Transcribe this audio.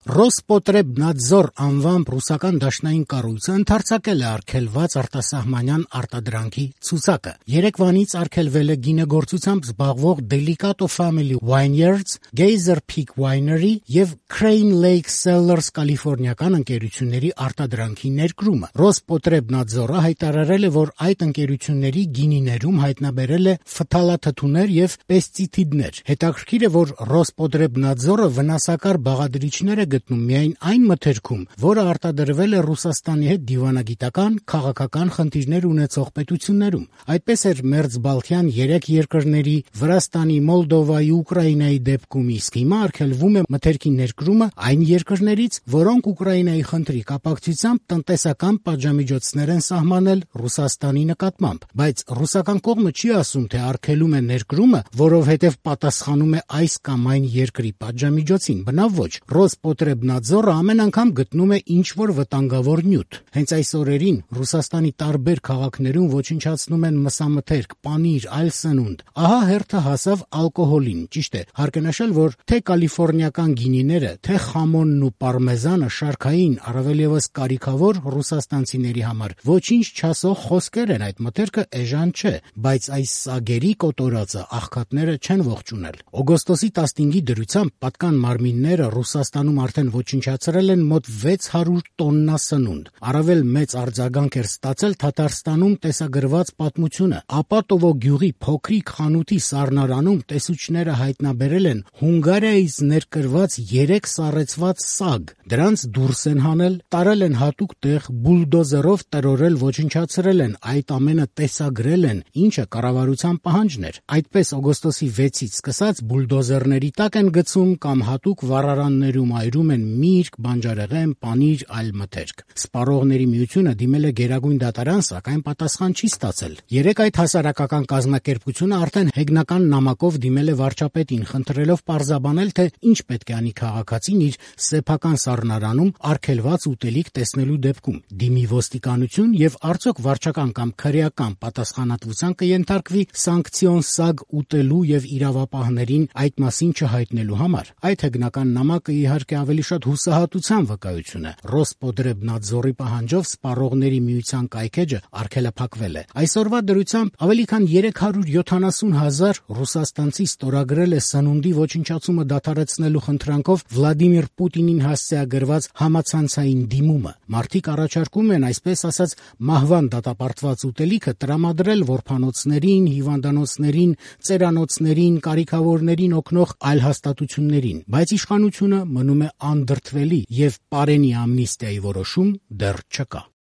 Ռոսպոտրեբնադզոր անվամբ ռուսական դաշնային կառույցը ընդարձակել է արգելված արտասահմանյան արտադրանքի ցուցակը։ Երեկվանից արգելվել է գինեգործությամբ զբաղվող Delicato Family Vineyards, Geyser Peak Winery և Crane Lake Cellars կալիֆոռնիական ընկերությունների արտադրանքի ներկրումը։ Ռոսպոտրեբնադզորը հայտարարել է, որ այդ ընկերությունների գինիներում հայտնաբերել է ֆթալաթթուներ և պեստիցիդներ։ Հետաքրքիր է, որ Ռոսպոտրեբնադզորը վնասակար բաղադրիչներ է գտնում միայն այն մթերքում, որը արտադրվել է Ռուսաստանի հետ դիվանագիտական, քաղաքական խնդիրներ ունեցող պետություններում։ Այդպես էր մերձբալթյան 3 երկրների՝ Վրաստանի, Մոլդովայի, Ուկրաինայի դեպքում, իսկ հիմա արգելվում է մթերքի ներկրումը այն երկրներից, որոնք Ուկրաինայի խնդրի կապակցությամբ տնտեսական պատժամիջոցներ են սահմանել Ռուսաստանի նկատմամբ։ Բայց ռուսական կողմը չի ասում, թե արգելում է ներկրումը, որովհետև պատասխանում է այս կամ այն երկրի պատժամիջոցին։ Բնավ ոչ, Ռոսպոտրեբնադզորը ամեն անգամ գտնում է ինչ-որ վտանգավոր նյութ։ Հենց այս օրերին Ռուսաստանի տարբեր քաղաքներում ոչնչացնում են մսամթերք, պանիր, այլ սնունդ։ Ահա հերթը հասավ ալկոհոլին։ Ճիշտ է, հարկ է նշել, որ թե կալիֆոռնիական գինիները, թե խամոնն ու պարմեզանը շարքային, առավել ևս կարիքավոր ռուսաստանցիների համար ոչինչ չասող խոսքեր են, այդ մթերքը էժան չէ, բայց այս սագերի կոտորածը աղքատները չեն ողջունել։ Օգոստոսի 15-ի դրությամբ պատկան մարմինները Ռուսաստանում արդեն ոչնչացրել են մոտ 600 տոննա սնունդ։ Առավել մեծ արձագանք էր ստացել Թաթարստանում տեսագրված պատմությունը։ Ապատովո գյուղի փոքրիկ խանութի սառնարանում տեսուչները հայտնաբերել են Հունգարիայից ներկրված 3 սառեցված սագ։ Դրանց դուրս են հանել, տարել են հատուկ տեղ, բուլդոզերով տրորել, ոչնչացրել են, այդ ամենը տեսագրել են, ինչը կառավարության պահանջն էր։ Այդպես օգոստոսի 6-ից սկսած բուլդոզերների տակ են գցում կամ հատուկ վառարաններում այրում են միրգ, բանջարեղեն, պանիր, այլ մթերք։ Սպառողների միությունը դիմել է Գերագույն դատարան, սակայն պատասխան չի ստացել։ Երեկ այդ հասարակական կազմակերպությունը արդեն հեգնական նամակով դիմել է վարչապետին, խնդրելով պարզաբանել, թե ինչ պետք է անի քաղաքացին իր սեփական սառնարանում արգելված ուտելիք տեսնելու դեպքում։ Դիմի ոստիկանություն եւ արդյոք վարչական կամ քրեական պատասխանատվության կենթարկվի սանկցիոն սագ ուտելու եւ իրավապահներին այդ մասին չհայտնելու համար։ Այդ հեգնական նամակը իհարկե ավելի շատ հուսահատության վկայություն է։ Ռոսպոտրեբնադզորի պահանջով սպառողների միության կայքէջը արգելափակվել է։ Այսօրվա դրությամբ ավելի քան 370,000 ռուսաստանցի ստորագրել է սնունդի ոչնչացումը դադարեցնելու խնդրանքով Վլադիմիր Պուտինին հասցեագրված համացանցային դիմումը։ Մարդիկ առաջարկում են, այսպես ասած, մահվան դատապարտված ուտելիքը տրամադրել որբանոցներին, հիվանդանոցներին, ծերանոցներին, կարիքավորներին օգնող այլ հաստատություններին, բայց իշխանությունը մնում է անդրդվելի և պարենի ամնիստիայի որոշում դեռ չկա։